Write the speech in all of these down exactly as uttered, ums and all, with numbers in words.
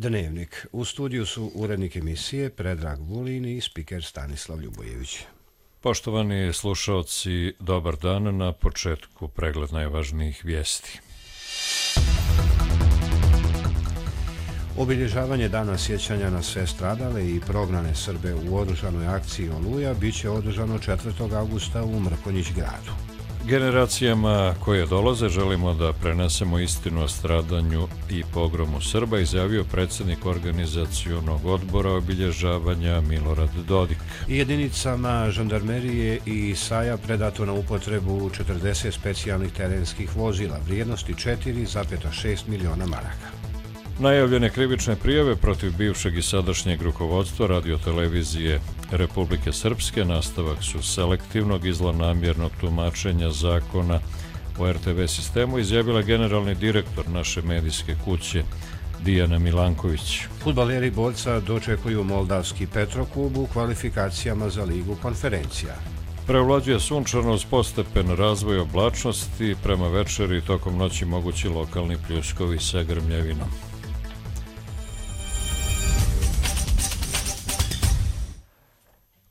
Dnevnik. U studiju su urednik emisije Predrag Vulin i spiker Stanislav Ljubojević. Poštovani slušaoci, dobar dan. Na početku pregled najvažnijih vijesti. Obilježavanje dana sjećanja na sve stradale i prognane Srbe u oružanoj akciji Oluja biće održano četvrtog avgusta u Mrkonjić gradu. Generacijama koje dolaze želimo da prenesemo istinu o stradanju i pogromu Srba, izjavio predsjednik organizacionog odbora obilježavanja Milorad Dodik. Jedinicama žandarmerije i Saja predato na upotrebu četrdeset specijalnih terenskih vozila vrijednosti četiri zarez šest miliona maraka. Najavljene krivične prijave protiv bivšeg i sadašnjeg rukovodstva radiotelevizije Republike Srpske nastavak su selektivnog i zlonamjernog tumačenja zakona o er te ve sistemu, izjavila generalni direktor naše medijske kuće Dijana Milanković. Fudbaleri borca dočekuju moldavski Petroklub u kvalifikacijama za ligu konferencija. Prevlađuje sunčano uz postepen razvoj oblačnosti, prema večeri i tokom noći mogući lokalni pljuskovi sa grmljavinom.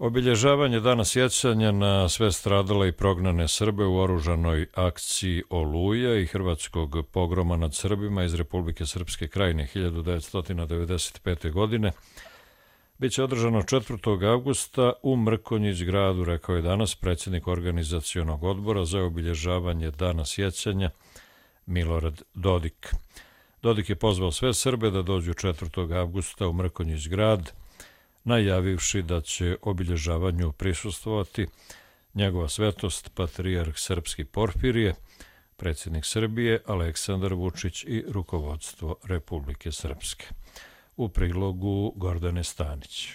Obilježavanje dana sjećanja na sve stradale i prognane Srbe u oružanoj akciji Oluja i hrvatskog pogroma nad Srbima iz Republike Srpske Krajine hiljadu devetsto devedeset pete. godine biće održano četvrtog avgusta u Mrkonjić gradu, rekao je danas predsjednik organizacionog odbora za obilježavanje dana sjećanja Milorad Dodik. Dodik je pozvao sve Srbe da dođu četvrtog avgusta u Mrkonjić grad, najavivši da će obilježavanju prisustvovati njegova svetost patrijarh srpski Porfirije, predsjednik Srbije Aleksandar Vučić i rukovodstvo Republike Srpske. U prilogu Gordane Stanić.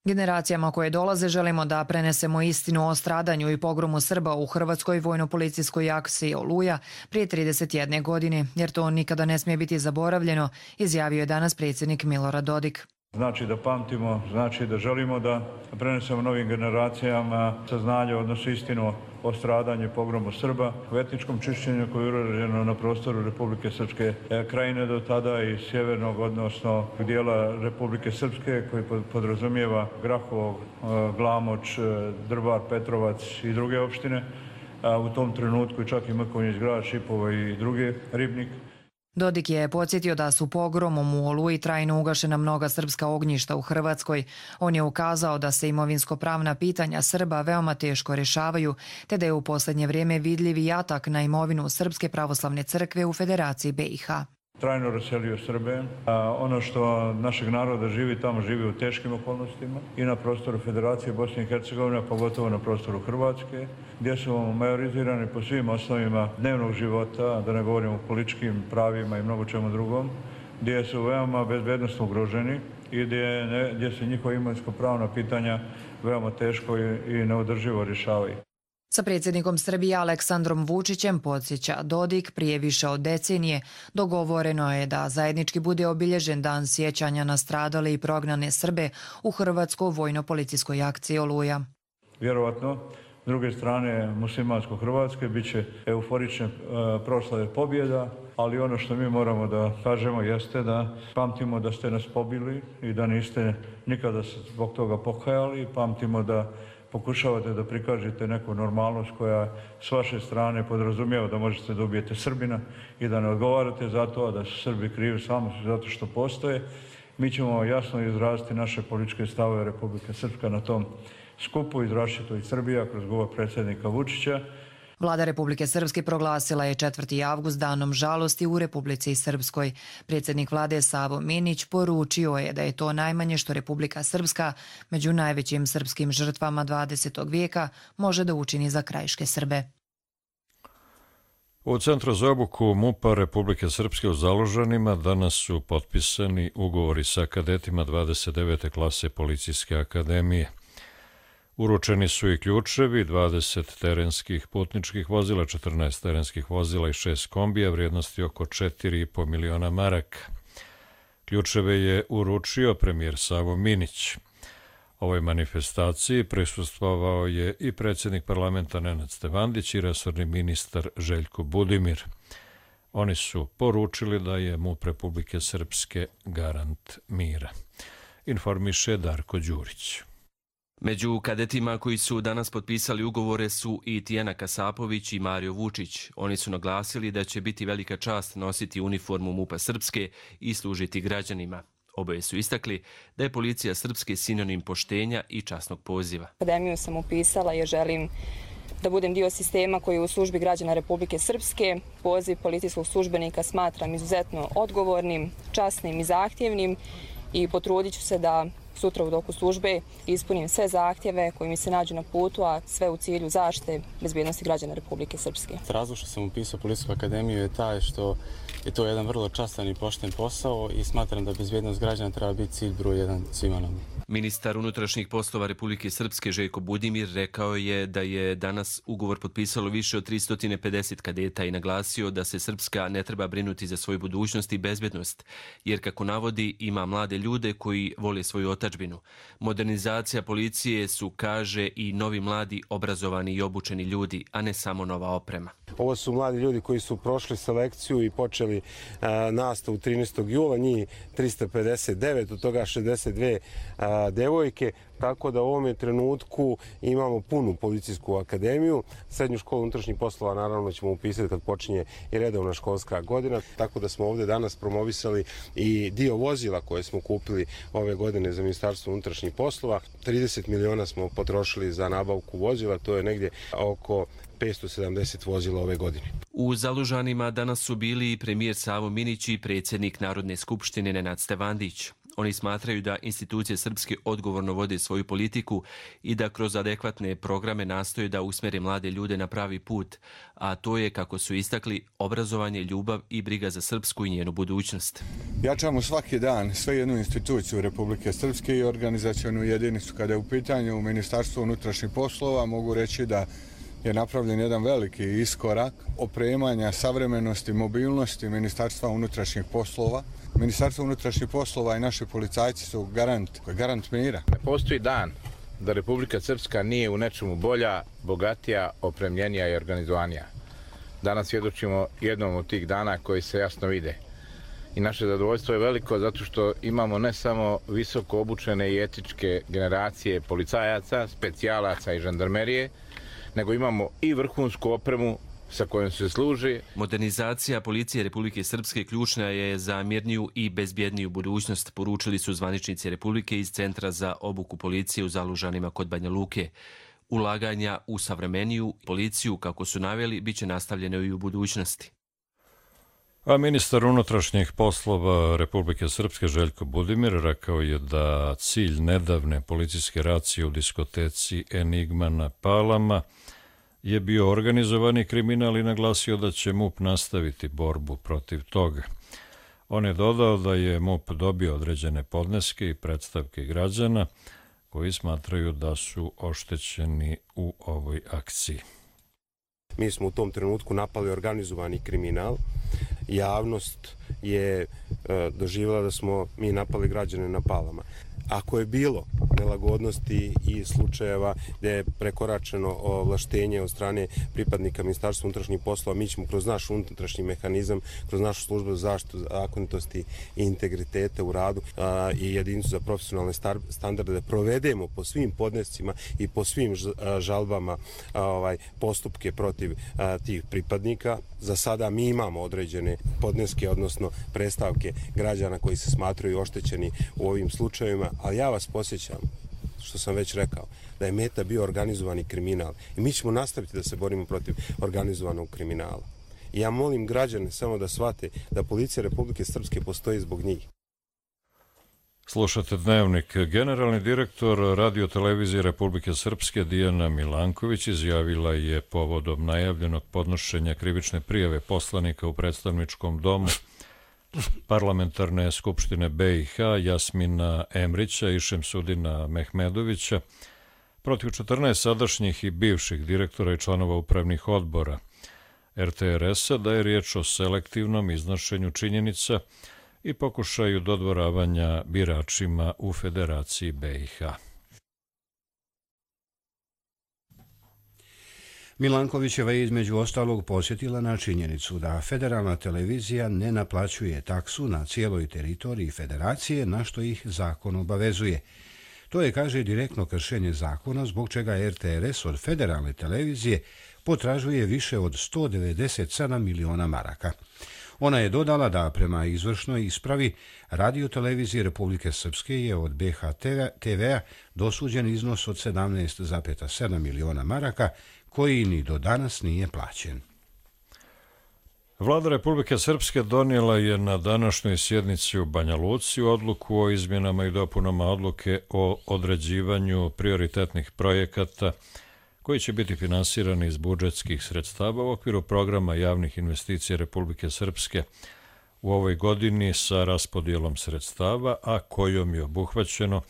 Generacijama koje dolaze želimo da prenesemo istinu o stradanju i pogromu Srba u hrvatskoj vojno-policijskoj akciji Oluja prije trideset jedne godine, jer to nikada ne smije biti zaboravljeno, izjavio je danas predsjednik Milorad Dodik. Znači da pamtimo, znači da želimo da prenesemo novim generacijama saznanje, odnosno istinu o stradanju i pogromu Srba, u etničkom čišćenju koje je urađeno na prostoru Republike Srpske Krajine do tada i sjevernog, odnosno dijela Republike Srpske koji podrazumijeva Grahovo, Glamoč, Drvar, Petrovac i druge opštine, a u tom trenutku čak i Mrkonjić grad, Šipovo i druge, Ribnik. Dodik je podsjetio da su pogromom u Oluji trajno ugašena mnoga srpska ognjišta u Hrvatskoj. On je ukazao da se imovinsko-pravna pitanja Srba veoma teško rješavaju, te da je u posljednje vrijeme vidljiv i atak na imovinu Srpske pravoslavne crkve u Federaciji be i ha. Trajno raselio Srbe. A ono što našeg naroda živi tamo, živi u teškim okolnostima i na prostoru Federacije Bosne i Hercegovine, pogotovo na prostoru Hrvatske, gdje su majorizirani po svim osnovima dnevnog života, da ne govorimo o političkim pravima i mnogo čemu drugom, gdje su veoma bezbednostno ugroženi i gdje, ne, gdje se njihova imovinsko-pravna pitanja veoma teško i, i neodrživo rješavaju. Sa predsjednikom Srbije Aleksandrom Vučićem, podsjeća Dodik, prije više od decenije dogovoreno je da zajednički bude obilježen dan sjećanja na stradale i prognane Srbe u hrvatskoj vojno-policijskoj akciji Oluja. Vjerovatno, s druge strane muslimansko-hrvatske bit će euforične e, proslave pobjeda, ali ono što mi moramo da kažemo jeste da pamtimo da ste nas pobili i da niste nikada zbog toga pokajali, pamtimo da pokušavate da prikažete neku normalnost koja s vaše strane podrazumijeva da možete da ubijete Srbina i da ne odgovarate za to, a da su Srbi krivi samo zato što postoje. Mi ćemo jasno izraziti naše političke stavove Republike Srpska na tom skupu, izrašće to i Srbija kroz govor predsjednika Vučića. Vlada Republike Srpske proglasila je četvrti avgust danom žalosti u Republici Srpskoj. Predsjednik vlade Savo Minić poručio je da je to najmanje što Republika Srpska među najvećim srpskim žrtvama dvadesetog vijeka može da učini za krajiške Srbe. U Centru za obuku MUP-a Republike Srpske u Založanima danas su potpisani ugovori sa kadetima dvadeset devete klase Policijske akademije. Uručeni su i ključevi, dvadeset terenskih putničkih vozila, četrnaest terenskih vozila i šest kombija vrijednosti oko četiri i po miliona maraka. Ključeve je uručio premijer Savo Minić. Ovoj manifestaciji prisustvovao je i predsjednik parlamenta Nenad Stevandić i resorni ministar Željko Budimir. Oni su poručili da je MUP Republike Srpske garant mira. Informiše Darko Đurić. Među kadetima koji su danas potpisali ugovore su i Tijana Kasapović i Mario Vučić. Oni su naglasili da će biti velika čast nositi uniformu MUP-a Srpske i služiti građanima. Oboje su istakli da je policija Srpske sinonim poštenja i časnog poziva. Akademiju sam upisala jer želim da budem dio sistema koji je u službi građana Republike Srpske. Poziv policijskog službenika smatram izuzetno odgovornim, časnim i zahtjevnim i potrudit ću se da sutra u toku službe ispunim sve zahtjeve koji mi se nađu na putu, a sve u cilju zaštite bezbjednosti građana Republike Srpske. Razlog što sam upisao Policijsku akademiju je taj što je to jedan vrlo častan i pošten posao i smatram da bezbjednost građana treba biti cilj broj jedan svima nama. Ministar unutrašnjih poslova Republike Srpske Željko Budimir rekao je da je danas ugovor potpisalo više od tristo pedeset kadeta i naglasio da se Srpska ne treba brinuti za svoju budućnost i bezbednost, jer kako navodi ima mlade ljude koji vole svoju otadžbinu. Modernizacija policije su, kaže, i novi mladi obrazovani i obučeni ljudi, a ne samo nova oprema. Ovo su mladi ljudi koji su prošli selekciju i počeli a, nastavu trinaestog jula, njih tristo pedeset devet, od toga šezdeset dve a, devojke, tako da u ovom trenutku imamo punu policijsku akademiju. Srednju školu unutrašnjih poslova naravno ćemo upisati kad počinje i redovna školska godina, tako da smo ovdje danas promovisali i dio vozila koje smo kupili ove godine za Ministarstvo unutrašnjih poslova. trideset miliona smo potrošili za nabavku vozila, to je negdje oko petsto sedamdeset vozila ove godine. U Zalužanima danas su bili i premijer Savo Minić i predsjednik Narodne skupštine Nenad Stevandić. Oni smatraju da institucije Srpske odgovorno vode svoju politiku i da kroz adekvatne programe nastoje da usmjere mlade ljude na pravi put, a to je, kako su istakli, obrazovanje, ljubav i briga za Srpsku i njenu budućnost. Jačamo svaki dan sve jednu instituciju Republike Srpske i organizacionu jedinicu. Kada je u pitanju Ministarstvo unutrašnjih poslova, mogu reći da je napravljen jedan veliki iskorak opremanja, savremenosti, mobilnosti Ministarstva unutrašnjih poslova. Ministarstvo unutrašnjih poslova i naši policajci su garant, garant mira. Ne postoji dan da Republika Srpska nije u nečemu bolja, bogatija, opremljenija i organizovanija. Danas svjedočimo jednom od tih dana koji se jasno vide. I naše zadovoljstvo je veliko zato što imamo ne samo visoko obučene i etičke generacije policajaca, specijalaca i žandarmerije, nego imamo i vrhunsku opremu sa kojom se služi. Modernizacija policije Republike Srpske ključna je za mirniju i bezbjedniju budućnost, poručili su zvaničnici Republike iz Centra za obuku policije u Zalužanima kod Banja Luke. Ulaganja u savremeniju policiju, kako su naveli, bit će nastavljene i u budućnosti. A ministar unutrašnjih poslova Republike Srpske Željko Budimir rekao je da cilj nedavne policijske racije u diskoteci Enigma na Palama je bio organizovani kriminal i naglasio da će MUP nastaviti borbu protiv toga. On je dodao da je MUP dobio određene podneske i predstavke građana koji smatraju da su oštećeni u ovoj akciji. Mi smo u tom trenutku napali organizovani kriminal. Javnost je e, doživjela da smo mi napali građane na Palama. Ako je bilo nelagodnosti i slučajeva gdje je prekoračeno ovlaštenje od strane pripadnika Ministarstva unutrašnjih poslova, mi ćemo kroz naš unutrašnji mehanizam, kroz našu službu za zaštitu zakonitosti i integriteta u radu a, i jedinicu za profesionalne star, standarde da provedemo po svim podnescima i po svim žalbama a, ovaj, postupke protiv a, tih pripadnika. Za sada mi imamo određene podneske, odnosno predstavke građana koji se smatraju oštećeni u ovim slučajevima, ali ja vas posjećam, što sam već rekao, da je meta bio organizovani kriminal i mi ćemo nastaviti da se borimo protiv organizovanog kriminala. I ja molim građane samo da shvate da policija Republike Srpske postoji zbog njih. Slušate Dnevnik. Generalni direktor radiotelevizije Republike Srpske Dijana Milanković izjavila je povodom najavljenog podnošenja krivične prijave poslanika u predstavničkom domu Parlamentarne skupštine B i H Jasmina Emrića i Šemsudina Mehmedovića protiv četrnaest sadašnjih i bivših direktora i članova upravnih odbora R T R S-a da je riječ o selektivnom iznošenju činjenica i pokušaju dodvoravanja biračima u Federaciji B i H. Milankovićeva je između ostalog posjetila na činjenicu da federalna televizija ne naplaćuje taksu na cijeloj teritoriji federacije, na što ih zakon obavezuje. To je, kaže, direktno kršenje zakona, zbog čega er te er es od federalne televizije potražuje više od sto devedeset sedam miliona maraka. Ona je dodala da prema izvršnoj ispravi Radio-televizije Republike Srpske je od be ha te ve-a dosuđen iznos od sedamnaest zarez sedam miliona maraka, koji ni do danas nije plaćen. Vlada Republike Srpske donijela je na današnjoj sjednici u Banja Luci odluku o izmjenama i dopunama odluke o određivanju prioritetnih projekata koji će biti finansirani iz budžetskih sredstava u okviru programa javnih investicija Republike Srpske u ovoj godini sa raspodjelom sredstava, a kojom je obuhvaćeno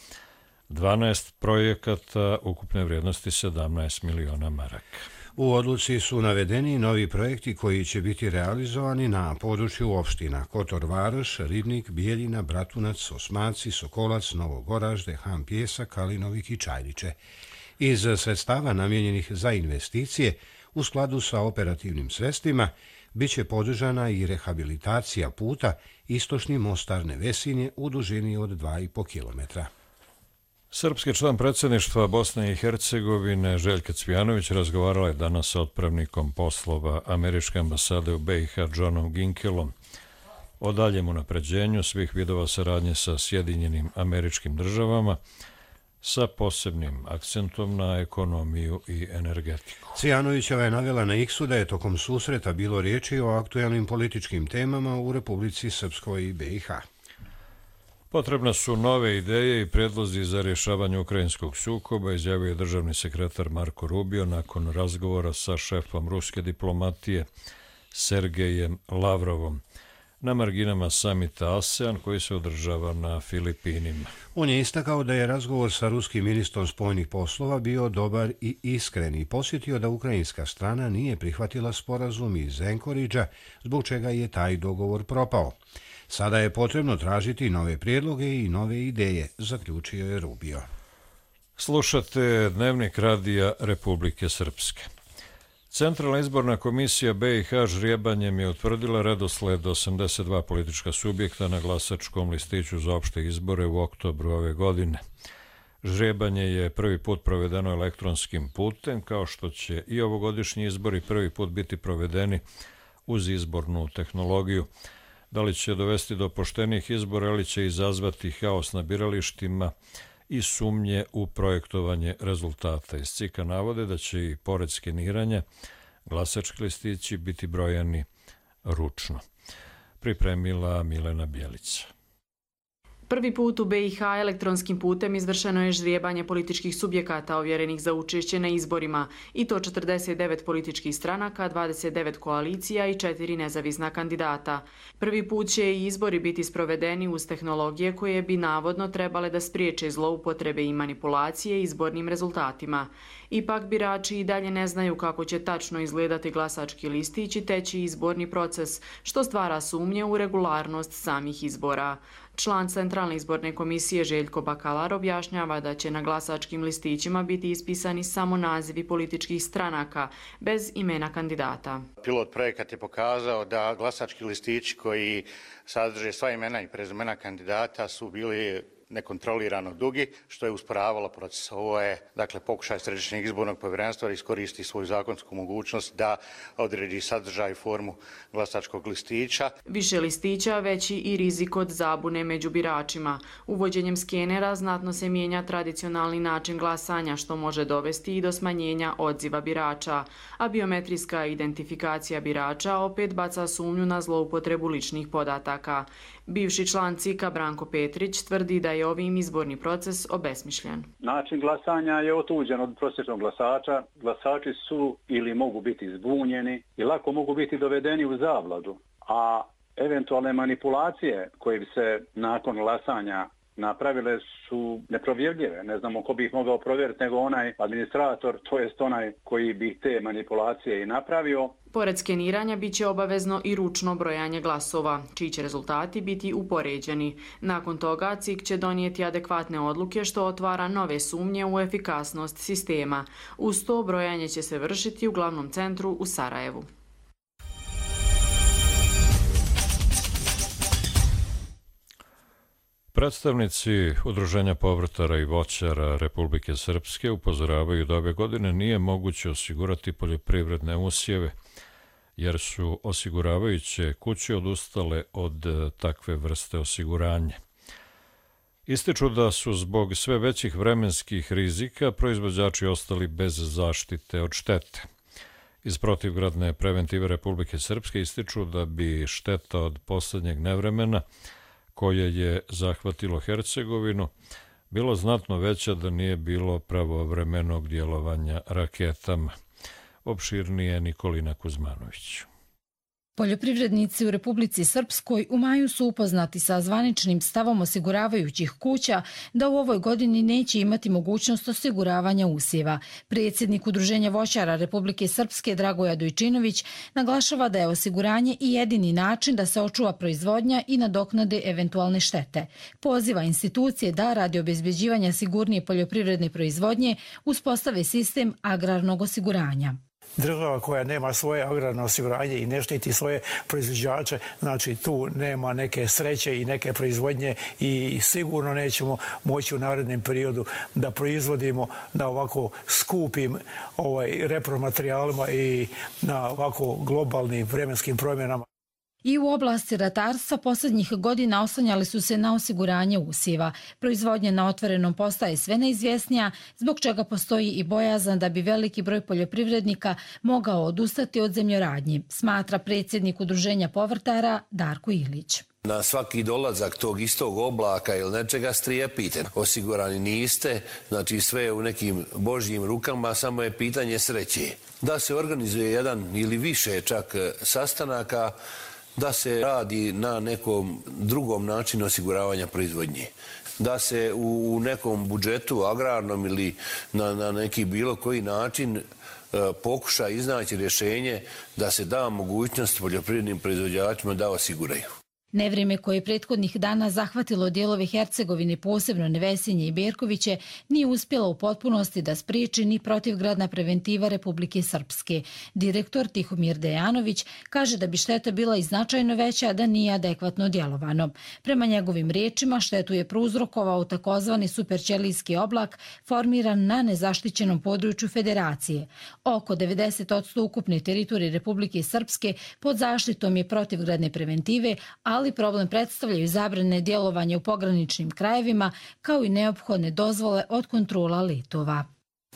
dvanaest projekata ukupne vrijednosti sedamnaest miliona maraka. U odluci su navedeni novi projekti koji će biti realizovani na području opština Kotor Varoš, Ribnik, Bijeljina, Bratunac, Osmaci, Sokolac, Novogoražde, Han Pjesak, Kalinovik i Čajliče. Iz sredstava namijenjenih za investicije, u skladu sa operativnim sredstvima, bit će podržana i rehabilitacija puta istočni Mostar Nevesinje u dužini od dva i po kilometra. Srpski član predsjedništva Bosne i Hercegovine Željka Cvijanović razgovarala je danas sa otpravnikom poslova Američke ambasade u be i ha Johnom Ginkelom o daljem unapređenju svih vidova saradnje sa Sjedinjenim Američkim Državama sa posebnim akcentom na ekonomiju i energetiku. Cvijanovićeva je navela na X-u da je tokom susreta bilo riječi o aktualnim političkim temama u Republici Srpskoj i be i ha. Potrebne su nove ideje i predlozi za rješavanje ukrajinskog sukoba, izjavio je državni sekretar Marko Rubio nakon razgovora sa šefom ruske diplomatije Sergejem Lavrovom na marginama samita ASEAN koji se održava na Filipinima. On je istakao da je razgovor sa ruskim ministrom spoljnih poslova bio dobar i iskren i posjetio da ukrajinska strana nije prihvatila sporazum iz Anchoragea, zbog čega je taj dogovor propao. Sada je potrebno tražiti nove prijedloge i nove ideje, zaključio je Rubio. Slušate Dnevnik radija Republike Srpske. Centralna izborna komisija be i ha žrijebanjem je utvrdila redosled osamdeset dva politička subjekta na glasačkom listiću za opšte izbore u oktobru ove godine. Žrijebanje je prvi put provedeno elektronskim putem, kao što će i ovogodišnji izbori prvi put biti provedeni uz izbornu tehnologiju. Da li će dovesti do poštenih izbora ili će izazvati haos na biralištima i sumnje u projektovanje rezultata. Iz C I K-a navode da će i pored skeniranja glasački listići biti brojani ručno. Pripremila Milena Bjelica. Prvi put u be i ha elektronskim putem izvršeno je žrijebanje političkih subjekata ovjerenih za učešće na izborima, i to četrdeset devet političkih stranaka, dvadeset devet koalicija i četiri nezavisna kandidata. Prvi put će i izbori biti sprovedeni uz tehnologije koje bi navodno trebale da spriječe zloupotrebe i manipulacije izbornim rezultatima. Ipak birači i dalje ne znaju kako će tačno izgledati glasački listić i teći izborni proces, što stvara sumnje u regularnost samih izbora. Član Centralne izborne komisije Željko Bakalar objašnjava da će na glasačkim listićima biti ispisani samo nazivi političkih stranaka, bez imena kandidata. Pilot projekat je pokazao da glasački listići koji sadrže sva imena i prezimena kandidata su bili nekontrolirano dugi, što je usporavalo proces. Ovo je, dakle, pokušaj Središnjeg izbornog povjerenstva da iskoristi svoju zakonsku mogućnost da odredi sadržaj i formu glasačkog listića. Više listića, veći i rizik od zabune među biračima. Uvođenjem skenera znatno se mijenja tradicionalni način glasanja, što može dovesti i do smanjenja odziva birača, a biometrijska identifikacija birača opet baca sumnju na zloupotrebu ličnih podataka. Bivši član C I K-a Branko Petrić tvrdi da je ovim izborni proces obesmišljen. Način glasanja je otuđen od prosječnog glasača. Glasači su ili mogu biti zbunjeni i lako mogu biti dovedeni u zavladu, a eventualne manipulacije koje bi se nakon glasanja napravile su neprovjerljive. Ne znamo ko bi ih mogao provjeriti nego onaj administrator, to jest onaj koji bi te manipulacije i napravio. Pored skeniranja bit će obavezno i ručno brojanje glasova, čiji će rezultati biti upoređeni. Nakon toga C I K će donijeti adekvatne odluke što otvara nove sumnje u efikasnost sistema. Uz to brojanje će se vršiti u glavnom centru u Sarajevu. Predstavnici Udruženja povrtara i voćara Republike Srpske upozoravaju da ove godine nije moguće osigurati poljoprivredne usjeve, jer su osiguravajuće kuće odustale od takve vrste osiguranja. Ističu da su zbog sve većih vremenskih rizika proizvođači ostali bez zaštite od štete. Iz protivgradne preventive Republike Srpske ističu da bi šteta od posljednjeg nevremena koje je zahvatilo Hercegovinu, bilo znatno veća da nije bilo pravovremenog djelovanja raketama. Opširnije Nikolina Kuzmanović. Poljoprivrednici u Republici Srpskoj u maju su upoznati sa zvaničnim stavom osiguravajućih kuća da u ovoj godini neće imati mogućnost osiguravanja usjeva. Predsjednik Udruženja voćara Republike Srpske Dragoja Dojčinović naglašava da je osiguranje i jedini način da se očuva proizvodnja i nadoknade eventualne štete. Poziva institucije da radi obezbeđivanja sigurnije poljoprivredne proizvodnje uspostave sistem agrarnog osiguranja. Država koja nema svoje agrarno osiguranje i ne štiti svoje proizvođače, znači tu nema neke sreće i neke proizvodnje i sigurno nećemo moći u narednom periodu da proizvodimo na ovako skupim ovaj, repromaterijalima i na ovako globalnim vremenskim promjenama. I u oblasti ratarstva posljednjih godina oslanjali su se na osiguranje usjeva. Proizvodnja na otvorenom postaje sve neizvjesnija, zbog čega postoji i bojazan da bi veliki broj poljoprivrednika mogao odustati od zemljoradnji, smatra predsjednik Udruženja povrtara Darko Ilić. Na svaki dolazak tog istog oblaka ili nečega strijepite. Osigurani niste, znači sve je u nekim božjim rukama, samo je pitanje sreće. Da se organizuje jedan ili više čak sastanaka, da se radi na nekom drugom načinu osiguravanja proizvodnje. Da se u nekom budžetu agrarnom ili na, na neki bilo koji način e, pokuša iznaći rješenje da se da mogućnost poljoprivrednim proizvođačima da osiguraju. Nevrijeme koje je prethodnih dana zahvatilo dijelove Hercegovine, posebno Nevesinje i Berkoviće, nije uspjela u potpunosti da spriječi ni protivgradna preventiva Republike Srpske. Direktor Tihomir Dejanović kaže da bi šteta bila i značajno veća da nije adekvatno djelovano. Prema njegovim riječima, štetu je prouzrokovao takozvani superćelijski oblak formiran na nezaštićenom području Federacije. Oko devedeset posto ukupne teritorije Republike Srpske pod zaštitom je protivgradne preventive, a ali problem predstavljaju zabrane djelovanja u pograničnim krajevima kao i neophodne dozvole od kontrola letova.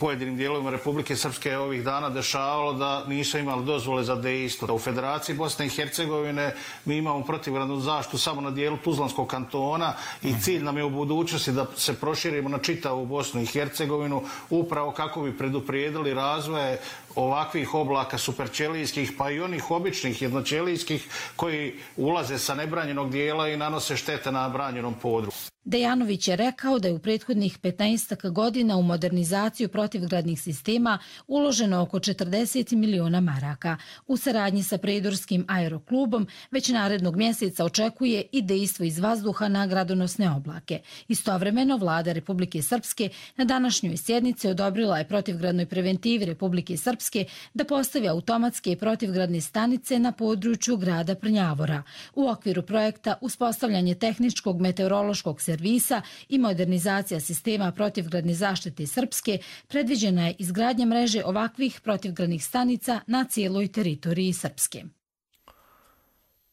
Pojedinim dijelovima Republike Srpske je ovih dana dešavalo da nisu imali dozvole za dejstvo. U Federaciji Bosne i Hercegovine mi imamo protivgradnu zaštitu samo na dijelu Tuzlanskog kantona i cilj nam je u budućnosti da se proširimo na čitavu Bosnu i Hercegovinu upravo kako bi preduprijedili razvoje ovakvih oblaka superćelijskih pa i onih običnih jednoćelijskih koji ulaze sa nebranjenog dijela i nanose štete na branjenom području. Dejanović je rekao da je u prethodnih petnaest godina u modernizaciju protivgradnih sistema uloženo oko četrdeset miliona maraka. U saradnji sa Prijedorskim aeroklubom već narednog mjeseca očekuje i dejstvo iz vazduha na gradonosne oblake. Istovremeno, vlada Republike Srpske na današnjoj sjednici odobrila je protivgradnoj preventivi Republike Srpske da postavi automatske protivgradne stanice na području grada Prnjavora. U okviru projekta uspostavljanje tehničkog meteorološkog servisa i modernizacija sistema protivgradne zaštite Srpske predviđena je izgradnja mreže ovakvih protivgradnih stanica na cijeloj teritoriji Srpske.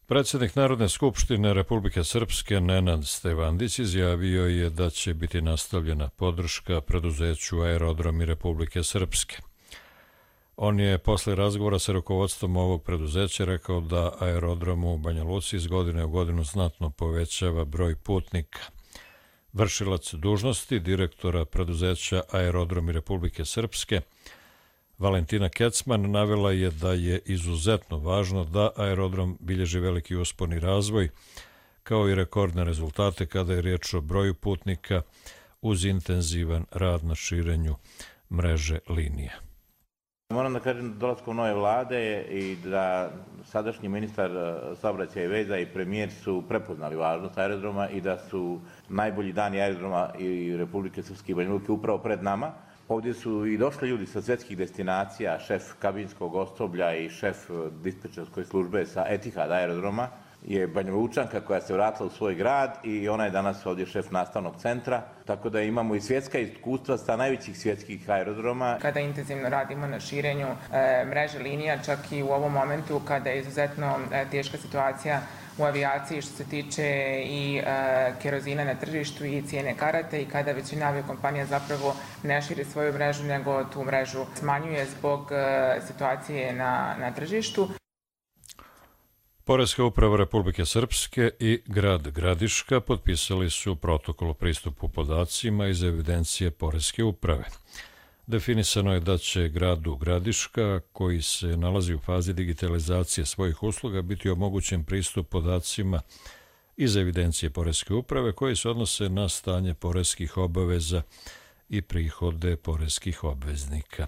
Predsjednik Narodne skupštine Republike Srpske Nenad Stevandić izjavio je da će biti nastavljena podrška preduzeću Aerodromi Republike Srpske. On je posle razgovora sa rukovodstvom ovog preduzeća rekao da aerodrom u Banja Luci iz godine u godinu znatno povećava broj putnika. Vršilac dužnosti direktora preduzeća Aerodromi Republike Srpske Valentina Kecman navela je da je izuzetno važno da aerodrom bilježi veliki uspon i razvoj kao i rekordne rezultate kada je riječ o broju putnika uz intenzivan rad na širenju mreže linija. Moram da kažem da dolaskom nove vlade i da sadašnji ministar saobraćaja i veza i premijer su prepoznali važnost aerodroma i da su najbolji dani aerodroma i Republike Srpske i Banja Luke upravo pred nama. Ovdje su i došli ljudi sa svjetskih destinacija, šef kabinskog osoblja i šef dispečerske službe sa Etihad aerodroma je Banja Lučanka koja se vratila u svoj grad i ona je danas ovdje šef nastavnog centra. Tako da imamo i svjetska iskustva sa najvećih svjetskih aerodroma. Kada intenzivno radimo na širenju e, mreže linija, čak i u ovom momentu kada je izuzetno e, teška situacija u avijaciji što se tiče i e, kerozina na tržištu i cijene karate i kada većina aviokompanija zapravo ne širi svoju mrežu nego tu mrežu smanjuje zbog e, situacije na, na tržištu. Poreska uprava Republike Srpske i grad Gradiška potpisali su protokol o pristupu podacima iz evidencije Poreske uprave. Definisano je da će gradu Gradiška, koji se nalazi u fazi digitalizacije svojih usluga, biti omogućen pristup podacima iz evidencije Poreske uprave koji se odnose na stanje poreskih obaveza i prihode poreskih obveznika.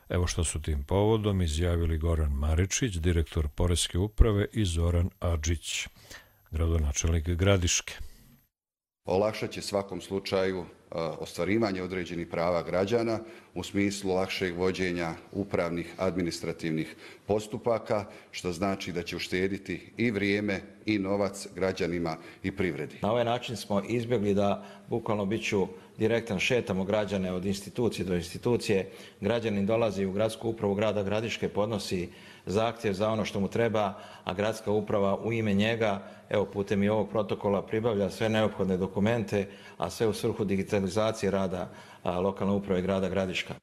Evo što su tim povodom izjavili Goran Maričić, direktor Poreske uprave, i Zoran Adžić, gradonačelnik Gradiške. Olakšat će svakom slučaju ostvarivanje određenih prava građana u smislu lakšeg vođenja upravnih administrativnih postupaka, što znači da će uštediti i vrijeme i novac građanima i privredi. Na ovaj način smo izbjegli da bukvalno biću direktan šetamo građane od institucije do institucije. Građanin dolazi u gradsku upravu grada Gradiške, podnosi zahtjev za ono što mu treba, a gradska uprava u ime njega, evo putem i ovog protokola, pribavlja sve neophodne dokumente, a sve u svrhu digitalizacije rada lokalne uprave grada Gradiška.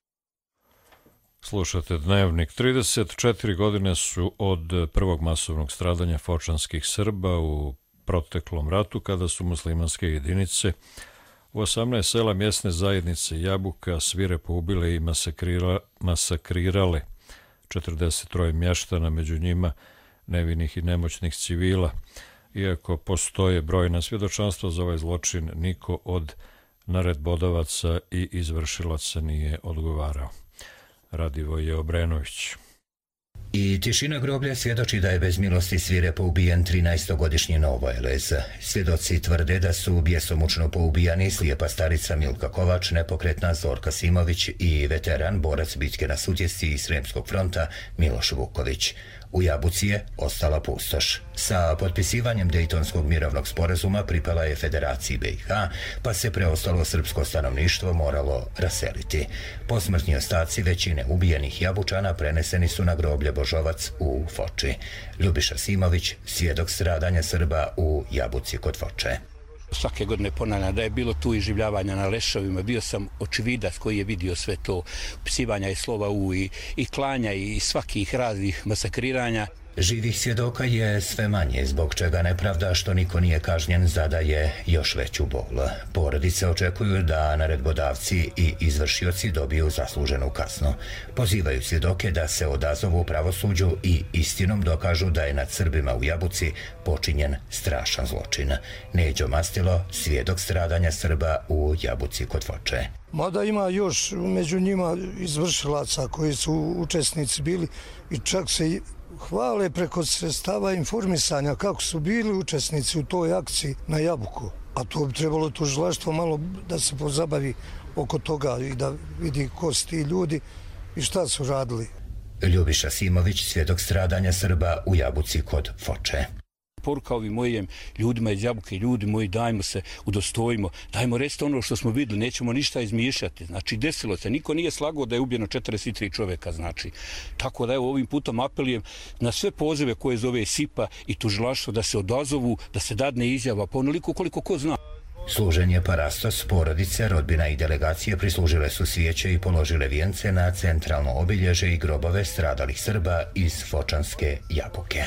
Slušate Dnevnik. trideset četiri godine su od prvog masovnog stradanja fočanskih Srba u proteklom ratu, kada su muslimanske jedinice u osamnaest sela mjesne zajednice Jabuka svirepo ubile i masakrira, masakrirale četrdeset tri mještana, među njima nevinih i nemoćnih civila. Iako postoje brojna svjedočanstva za ovaj zločin, niko od naredbodavaca i izvršilaca nije odgovarao. Radivoje Obrenović. I tišina groblja svjedoči da je bez milosti svirepo ubijen trinaestogodišnji Novoelez. Svjedoci tvrde da su bjesomučno poubijani slijepa starica Milka Kovač, nepokretna Zorka Simović i veteran, borac bitke na Sutjesci i Sremskog fronta Miloš Vuković. U Jabuci je ostala pustoš. Sa potpisivanjem Dejtonskog mirovnog sporazuma pripala je Federaciji B i H, pa se preostalo srpsko stanovništvo moralo raseliti. Posmrtni ostaci većine ubijenih Jabučana preneseni su na groblje Božovac u Foči. Ljubiša Simović, svjedok stradanja Srba u Jabuci kod Foče. Svake godine ponavljam da je bilo tu iživljavanja na lešovima. Bio sam očividac koji je vidio sve to, psivanja i slova u i, i klanja i svakih raznih masakriranja. Živih svjedoka je sve manje, zbog čega nepravda što niko nije kažnjen zadaje još veću bol. Porodice očekuju da naredbodavci i izvršioci dobiju zasluženu kaznu. Pozivaju svjedoke da se odazovu pravosuđu i istinom dokažu da je nad Srbima u Jabuci počinjen strašan zločin. Neđo Mastilo, svjedok stradanja Srba u Jabuci kod Foče. Mada ima još među njima izvršilaca koji su učesnici bili i čak se hvale preko sredstava informisanja kako su bili učesnici u toj akciji na Jabuku. A to bi trebalo tužilaštvo malo da se pozabavi oko toga i da vidi ko su ti ljudi i šta su radili. Ljubiša Simović, svjedok stradanja Srba u Jabuci kod Foče. Poruka ovim mojim ljudima iz Jabuke, ljudi moji, dajmo se, udostojimo, dajmo resti ono što smo vidjeli, nećemo ništa izmišljati. Znači, desilo se, niko nije slagao da je ubijeno četrdeset tri čovjeka, znači. Tako da evo ovim putom apelujem na sve pozive koje zove SIPA i tužilaštvo da se odazovu, da se dadne izjava, pa onoliko koliko ko zna. Služenje parastos, porodice, rodbina i delegacije prislužile su svijeće i položile vijence na centralno obilježe i grobove stradalih Srba iz Fočanske Jabuke.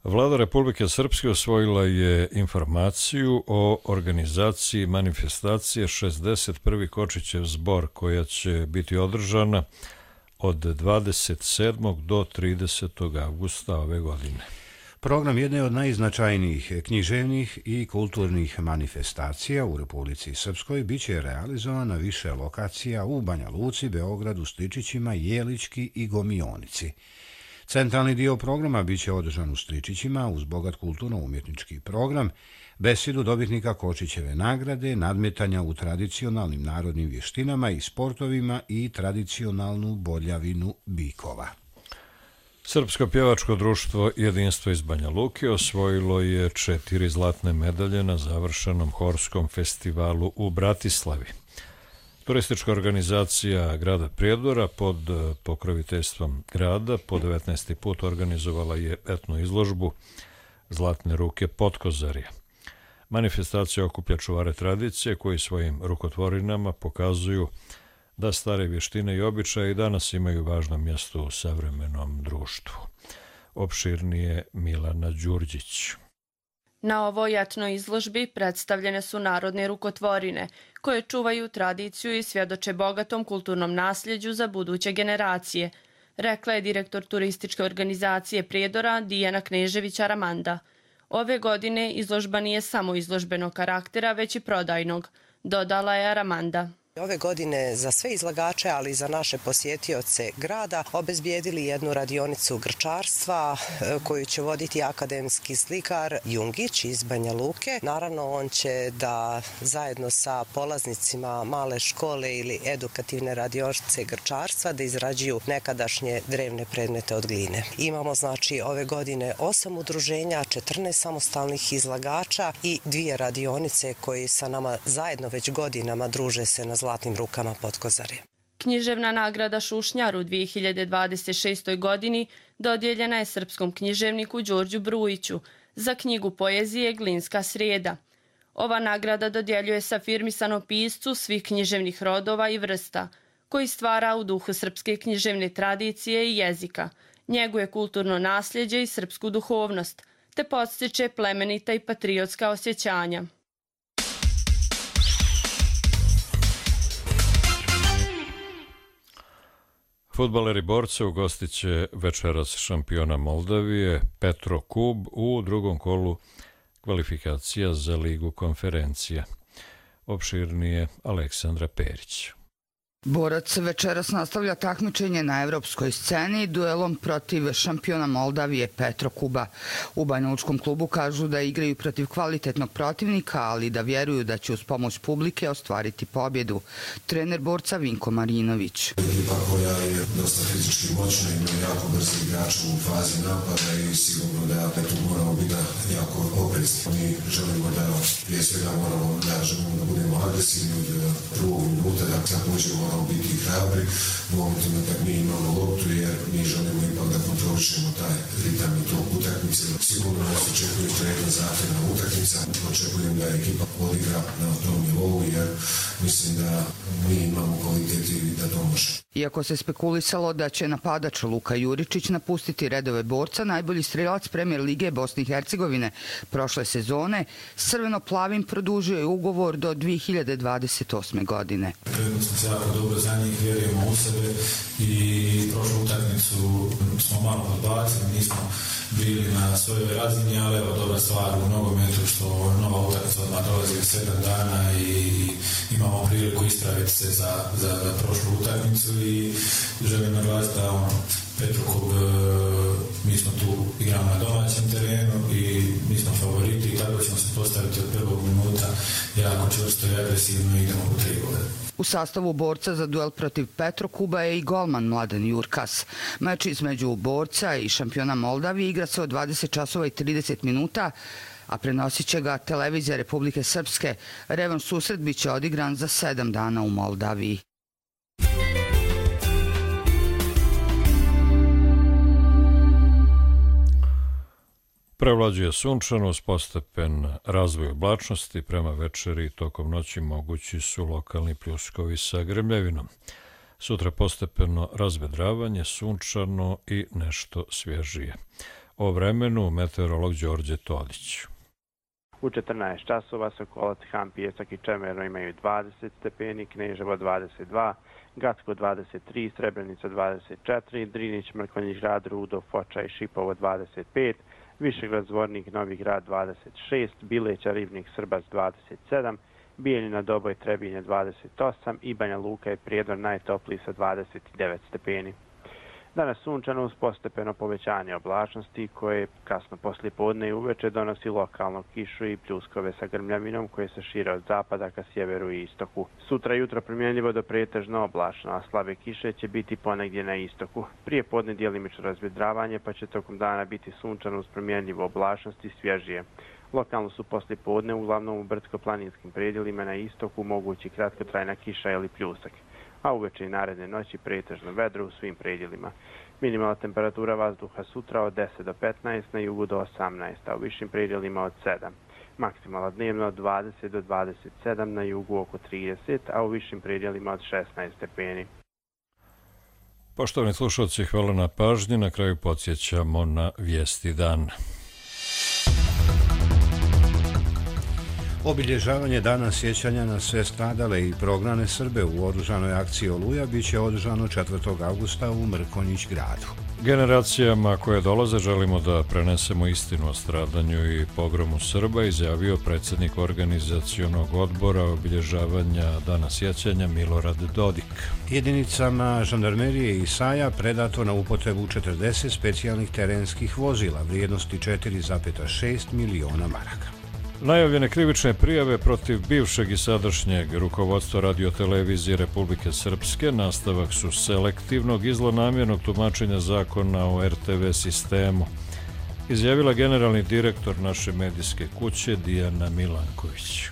Vlada Republike Srpske osvojila je informaciju o organizaciji manifestacije šezdeset prvi Kočićev zbor, koja će biti održana od dvadeset sedmog do tridesetog avgusta ove godine. Program jedne od najznačajnijih književnih i kulturnih manifestacija u Republici Srpskoj biće realizovan na više lokacija u Banja Luci, Beogradu, Stričićima, Jelički i Gomionici. Centralni dio programa biće održan u Stričićima uz bogat kulturno-umjetnički program, besedu dobitnika Kočićeve nagrade, nadmetanja u tradicionalnim narodnim vještinama i sportovima i tradicionalnu boljavinu bikova. Srpsko pjevačko društvo Jedinstvo iz Banja Luke osvojilo je četiri zlatne medalje na završenom horskom festivalu u Bratislavi. Turistička organizacija grada Prijedora pod pokroviteljstvom grada po devetnaesti put organizovala je etnu izložbu Zlatne ruke Potkozarja. Manifestacija okuplja čuvare tradicije koji svojim rukotvorinama pokazuju da stare vještine i običaje i danas imaju važno mjesto u savremenom društvu. Opširnije Milana Đurđić. Na ovoj etnoj izložbi predstavljene su narodne rukotvorine, koje čuvaju tradiciju i svjedoče bogatom kulturnom nasljeđu za buduće generacije, rekla je direktor turističke organizacije Prijedora Dijana Knežević-Aramanda. Ove godine izložba nije samo izložbenog karaktera, već i prodajnog, dodala je Aramanda. Ove godine za sve izlagače, ali i za naše posjetioce grada, obezbijedili jednu radionicu grčarstva koju će voditi akademski slikar Jungić iz Banja Luke. Naravno, on će da zajedno sa polaznicima male škole ili edukativne radionice grčarstva da izrađuju nekadašnje drevne predmete od gline. Imamo znači ove godine osam udruženja, četrnaest samostalnih izlagača i dvije radionice koji sa nama zajedno već godinama druže se na Zlatnim rukama Potkozarja. Književna nagrada Šušnjar u dvije hiljade dvadeset šestoj. godini dodijeljena je srpskom književniku Đorđu Brujiću za knjigu poezije Glinska srijeda. Ova nagrada dodjeljuje se afirmisanom piscu svih književnih rodova i vrsta, koji stvara u duhu srpske književne tradicije i jezika, njeguje kulturno nasljeđe i srpsku duhovnost, te podstiče plemenita i patriotska osjećanja. Fudbaleri Borca ugostit će večeras šampiona Moldavije Petro Kub u drugom kolu kvalifikacija za Ligu konferencija. Opširnije Aleksandra Perić. Borac večeras nastavlja takmičenje na evropskoj sceni duelom protiv šampiona Moldavije Petro Kuba. U Banjalučkom klubu kažu da igraju protiv kvalitetnog protivnika, ali da vjeruju da će uz pomoć publike ostvariti pobjedu. Trener Borca Vinko Marinović. Ekipa koja je dosta fizički moćna, ima jako brzi igrač u fazi napada i sigurno da tu moramo biti jako oprezni. Mi želimo da prije svega moramo da želimo da budemo agresivni od prvog minuta, da također moramo biti hrabri u momentima kad mi imamo loptu, jer mi želimo ipak da kontrolišemo taj ritam i tog utakmice. Sigurno nas očekuje jedna zahtjevna utakmica. Očekujem da ekipa odigra na tom nivou, jer mislim da mi imamo kvalitet i da to može. Iako se spekulisalo da će napadač Luka Juričić napustiti redove Borca, najbolji strelac Premijer Lige Bosne i Hercegovine prošle sezone, s crveno-plavim produžio je ugovor do dvije hiljade dvadeset osme. godine. Krenuli smo se jako dobro za njih, vjerujemo u sebe i prošlu utakmicu smo malo podbacili, nismo bili na svojoj razini, ali evo dobra stvar u nogometu što nova utakmica odmah dolazi u sedam dana i imamo priliku ispraviti se za, za, za prošlu utakmicu i želim naglasiti da ono, Petrokub, mi smo tu igramo na domaćem terenu i mi smo favoriti i tako ćemo se postaviti od prvog minuta jako čvrsto i agresivno i idemo u tri gole. U sastavu Borca za duel protiv Petrokuba je i golman Mladen Jurkas. Meč između Borca i šampiona Moldavije igra se od dvadeset časova i trideset minuta, a prenosit će ga televizija Republike Srpske. Revanš susret biće odigran za sedam dana u Moldaviji. Prevlađuje sunčano uz postepen razvoj oblačnosti, prema večeri i tokom noći mogući su lokalni pljuskovi sa grmljavinom. Sutra postepeno razvedravanje, sunčano i nešto svježije. O vremenu meteorolog Đorđe Todić. U četrnaest časova Sokolac, Han, Pijesak i Čemerno imaju dvadeset stepeni, Kneževo dvadeset dva, Gacko dvadeset tri, Srebrenica dvadeset četiri, Drinić, Mrkonjić Grad, Rudo, Foča i Šipovo dvadeset pet, Višegrad, Zvornik, Novi Grad dvadeset šest, Bileća, Ribnik, Srbac dvadeset sedam, Bijeljina, Doboj, Trebinje dvadeset osam i Banja Luka i Prijedor najtopliji sa dvadeset devet stepeni. Danas sunčano uz postepeno povećanje oblačnosti koje kasno poslije podne i uveče donosi lokalno kišu i pljuskove sa grmljavinom koje se šire od zapada ka sjeveru i istoku. Sutra jutro primjenljivo do pretežno oblačno, a slabe kiše će biti ponegdje na istoku. Prije podne djelimično razvedravanje pa će tokom dana biti sunčano uz primjenljivo oblačnosti i svježije. Lokalno su poslije podne uglavnom u brdsko-planinskim predjelima na istoku mogući kratkotrajna kiša ili pljusak, a uveče i naredne noći pretežno vedro u svim predjelima. Minimalna temperatura vazduha sutra od deset do petnaest, na jugu do osamnaest, a u višim predjelima od sedam. Maksimalna dnevno od dvadeset do dvadeset sedam, na jugu oko trideset, a u višim predjelima od šesnaest stepeni. Poštovani slušalci, hvala na pažnji. Na kraju podsjećamo na vijesti dan. Obilježavanje dana sjećanja na sve stradale i prognane Srbe u oružanoj akciji Oluja bit će održano četvrtog avgusta u Mrkonjić Gradu. Generacijama koje dolaze želimo da prenesemo istinu o stradanju i pogromu Srba, izjavio predsjednik organizacionog odbora obilježavanja dana sjećanja Milorad Dodik. Jedinicama žandarmerije i Saja predato na upotrebu četrdeset specijalnih terenskih vozila vrijednosti četiri zarez šest miliona maraka. Najavljene krivične prijave protiv bivšeg i sadašnjeg rukovodstva radiotelevizije Republike Srpske nastavak su selektivnog i zlonamjernog tumačenja zakona o er te ve sistemu, izjavila generalni direktor naše medijske kuće Dijana Milanković.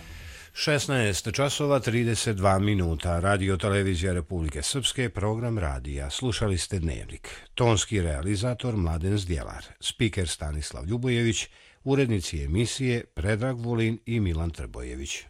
šesnaest časova trideset dva minuta. Radiotelevizija Republike Srpske, program radija. Slušali ste Dnevnik. Tonski realizator Mladen Zdjelar, spiker Stanislav Ljubojević, urednici emisije Predrag Vulin i Milan Trbojević.